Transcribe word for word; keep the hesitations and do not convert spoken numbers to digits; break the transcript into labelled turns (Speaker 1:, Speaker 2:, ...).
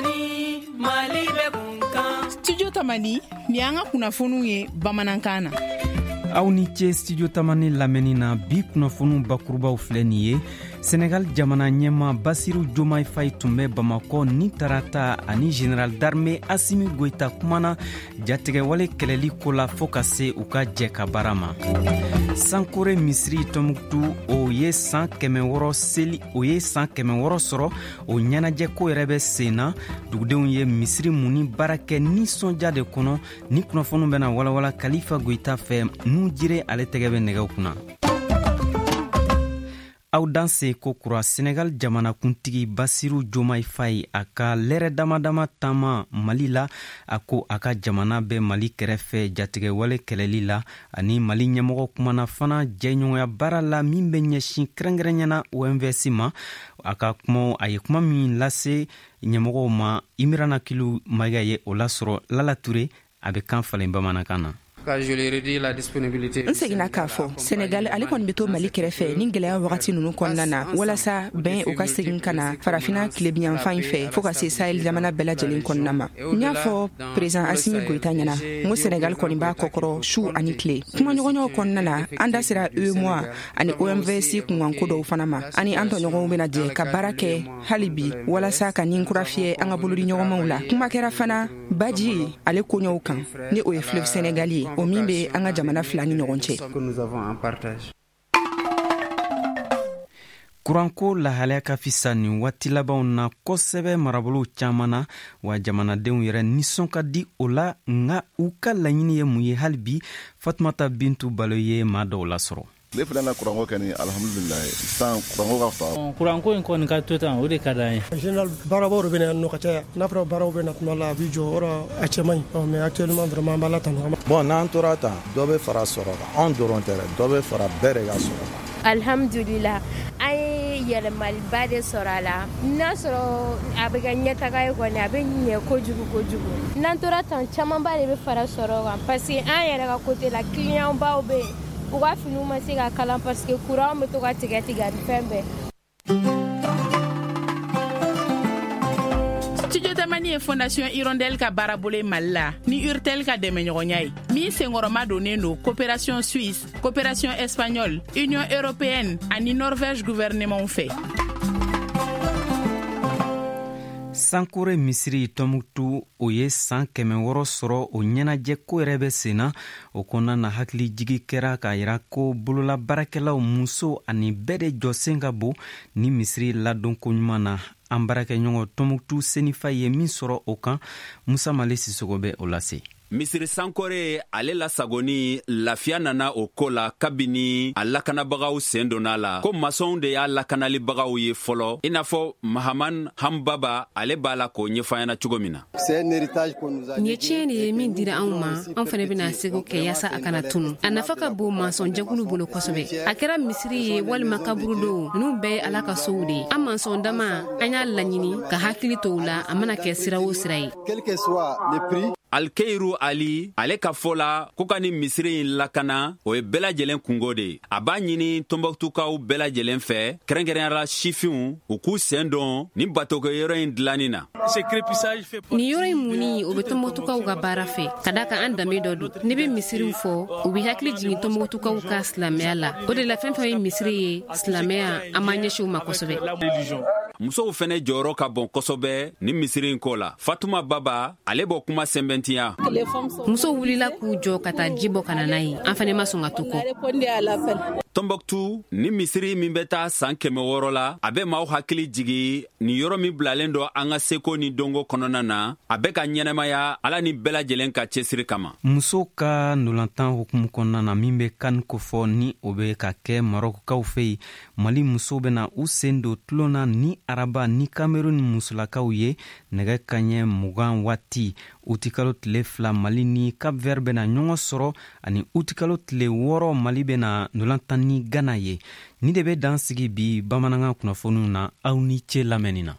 Speaker 1: Tamani, Mali bɛ kun kan.
Speaker 2: Studio Tamani, ni y'an ka kunnafoniw ye bamanankan na.
Speaker 3: Aw ni ce Studio Tamani lamɛnni na. Bi kunnafoniw bakurubaw filɛ nin ye: Senegal jamana ɲɛma Basiru Jomai Fay tun bɛ Bamakɔ ni tarata, ani général d'armée Asimi Goyita kumana jatigɛwale kɛlɛli ko la, fɔɔ ka se u ka jɛ ka baara ma. Sankore misiri Tɔnbuktu, o ye san kɛmɛ wɔrɔ seli, o ye san kɛmɛ wɔrɔ sɔrɔ, o ɲɛnajɛko yɛrɛ bɛ sen na. Dugudenw ye misiri munni baara kɛ nisɔndiya de kɔnɔ. Ni kunnafoniw bɛna walawala Kalifa Goyita fɛ. Nu jire ale tɛgɛ bɛ nɛgɛw kunna. Aw danse ko kura. Senegal jamanakuntigi Basiru Jomai Fay, a ka lɛrɛ dama dama taama Mali la, a ko a ka jamana bɛ Mali kɛrɛfɛ jatigɛwale kɛlɛli la. Ani Mali ɲɛmɔgɔ kumana fana jɛɲɔgɔnya baara la min bɛ ɲɛsin kɛrɛnkɛrɛnyana O M V S ma. A ka kuma, a ye kuma min lase ɲɛmɔgɔw ma, Imirana Kilu Mayiga ye o lasɔrɔ. Lala Ture, a bɛ kan falen bamanankan na.
Speaker 4: N seginna k'a fɔ, Senegal ale kɔni be to Mali kɛrɛfɛ ni gwɛlɛya wagati nunu kɔnɔna na, walasa bɛn o ka segin ka na Farafina tilebiyanfan in fɛ, fɔɔ ka se Sahel jamana bɛɛ lajɛlen kɔnɔna ma. N y'a fɔ président Asimi Goyita ɲɛna n ko Senegal kɔni b'a kɔkɔrɔ su ani tile. Kumaɲɔgɔnyaw kɔnɔna na, an da sera UEMOA ani O M V S kunkanko dɔw fana ma. Ani an tɔɲɔgɔnw bena jɛ ka baara kɛ hali bi, walasa ka nin kura fiyɛ an ka bolodiɲɔgɔnmaw la. Kuma kɛra fana baji ale koɲɔw kan, ni o ye fleuve Sénégal ye, o min be an ka jamana fila ni ɲɔgɔn cɛ.
Speaker 3: Kuranko lahalaya ka fisa nin waati labanw na kosɛbɛ marabolow caaman na, wa jamanadenw yɛrɛ nisɔn ka di o la. Nga u ka laɲini ye mun ye hali bi? Fatumata Bintu Balo ye maa dɔw lasɔrɔ.
Speaker 5: Tile fila na, kuranko kɛni, alhamdulilayi, sisan kuranko ka fisa.
Speaker 6: Kuranko in kɔni ka to tan, o de ka d'an ye.
Speaker 7: En général, baarabaw de bɛ na yan nɔ ka caya. N'a fɔra baaraw bɛ na tuma la, a b'i jɔ yɔrɔ, a cɛ man ɲi, mais actuellement vraiment, an b'Ala tanu.
Speaker 8: Bon, n'an tora tan, dɔ bɛ fara sɔrɔ kan. Anw dɔrɔn tɛ dɛ, dɔ bɛ fara bɛɛ de ka sɔrɔ kan.
Speaker 9: Alhamdulila, an ye yɛlɛmaliba de sɔrɔ a la. N'a sɔrɔ a bɛ kɛ ɲɛtaga ye kɔni, a bɛ ɲɛ kojugu kojugu. N'an tora tan, camanba de bɛ fara sɔrɔ kan, parce que an yɛrɛ ka côté la, client baw bɛ yen, u ka finiw ma se ka kalan parce que courant bɛ to ka tigɛ tigɛ ani fɛn bɛɛ.
Speaker 2: Studio Tamani ye Fondation Hirondelle ka baarabolo ye Mali la ni Urtel ka dɛmɛɲɔgɔnya ye, min senkɔrɔma donnen don Coopération suisse, Coopération espagnole, Union européenne ani Norvège gouvernement fɛ.
Speaker 3: Sankore misiri Tɔnbuktu, o ye san kɛmɛ wɔrɔ sɔrɔ, o ɲɛnajɛ ko yɛrɛ bɛ sen na. O kɔnɔna na, hakili jigi kɛra k'a yira ko bolola baarakɛlaw, muso ani bɛɛ de jɔsen ka bon ni misiri ladonko ɲuman na. An baarakɛɲɔgɔn Tɔnbuktu Senifa ye min sɔrɔ o kan, Musa Male Sisogo bɛ o lase.
Speaker 10: Misiri Sankore ale lasagoni, lafiya nana o ko la kabini a lakanabagaw sen donna la, ko masɔnw de y'a lakanalibagaw ye fɔlɔ, i n'a fɔ Mahaman Hanbaba ale b'a la k'o ɲɛfɔ cogo min na.
Speaker 11: Nin ye tiɲɛ de ye min dira anw ma. An fana bɛna seko kɛ yaasa a kana tunu. A nafa ka bon mansɔn jɛkulu bolo kosɛbɛ. A kɛra misiri ye walima kaburudo, ninnu bɛɛ ye Ala ka sow de ye. An mansɔn dama, an y'a laɲini ka hakili to u la, a mana kɛ sira o sira ye.
Speaker 10: Alkeiru Ali ale ka fɔ la ko ka ni misiri in lakana, o ye bɛɛ lajɛlen kungo de ye. A b'a ɲini Tɔnbɔkutukaw bɛɛ lajɛlen fɛ, kɛrɛnkɛrɛnyara sifinw, u k'u sen don ni batokɛyɔrɔ in dilanni na.
Speaker 11: Nin yɔrɔ in munni, o bɛ Tɔnbɔkutukaw ka baara fɛ, ka da kan an danbe dɔ don. Ne bɛ misiriw fɔ, u bɛ hakili jigin Tɔnbɔkutukaw ka silamɛya la. O de la, fɛn fɛn ye misiri ye, silamɛya, an b'an ɲɛsin u ma kosɛbɛ.
Speaker 10: Musow fɛnɛ jɔyɔrɔ ka bon kosɛbɛ ni misiri in ko la. Fatuma Baba ale b'o kuma sɛnbɛntiya.
Speaker 11: Musow wulila k'u jɔ ka taa ji bɔ ka na n'a ye. An fɛnɛ ma sɔn ka to kɔ.
Speaker 10: Tɔnbɔkutu ni misiri min bɛ taa san kɛmɛ wɔɔrɔ la, a bɛ maaw hakili jigi nin yɔrɔ min bilalen dɔ an ka seko ni donko kɔnɔna na, a bɛ ka ɲɛnɛmaya Ala ni bɛɛ lajɛlen ka cɛsiri kama.
Speaker 3: Musow ka ndolantan hukumu kɔnɔna na min bɛ CAN kofɔ, ni o bɛ ka kɛ Marɔkukaw fɛ yen, Mali musow bɛna u sen don tulon na ni araba ni Cameroun musolakaw ye nɛgɛ kaɲɛ mugan waati. Utikalo tile fila, Mali ni Cap Vert bɛna ɲɔgɔn sɔrɔ, ani utikalo tile wɔɔrɔ, Mali bɛna ndolantan ni Gana ye. Ni de bɛ dan sigi bi bamanankan kunnafoniw na. Aw ni ce lamɛnni na.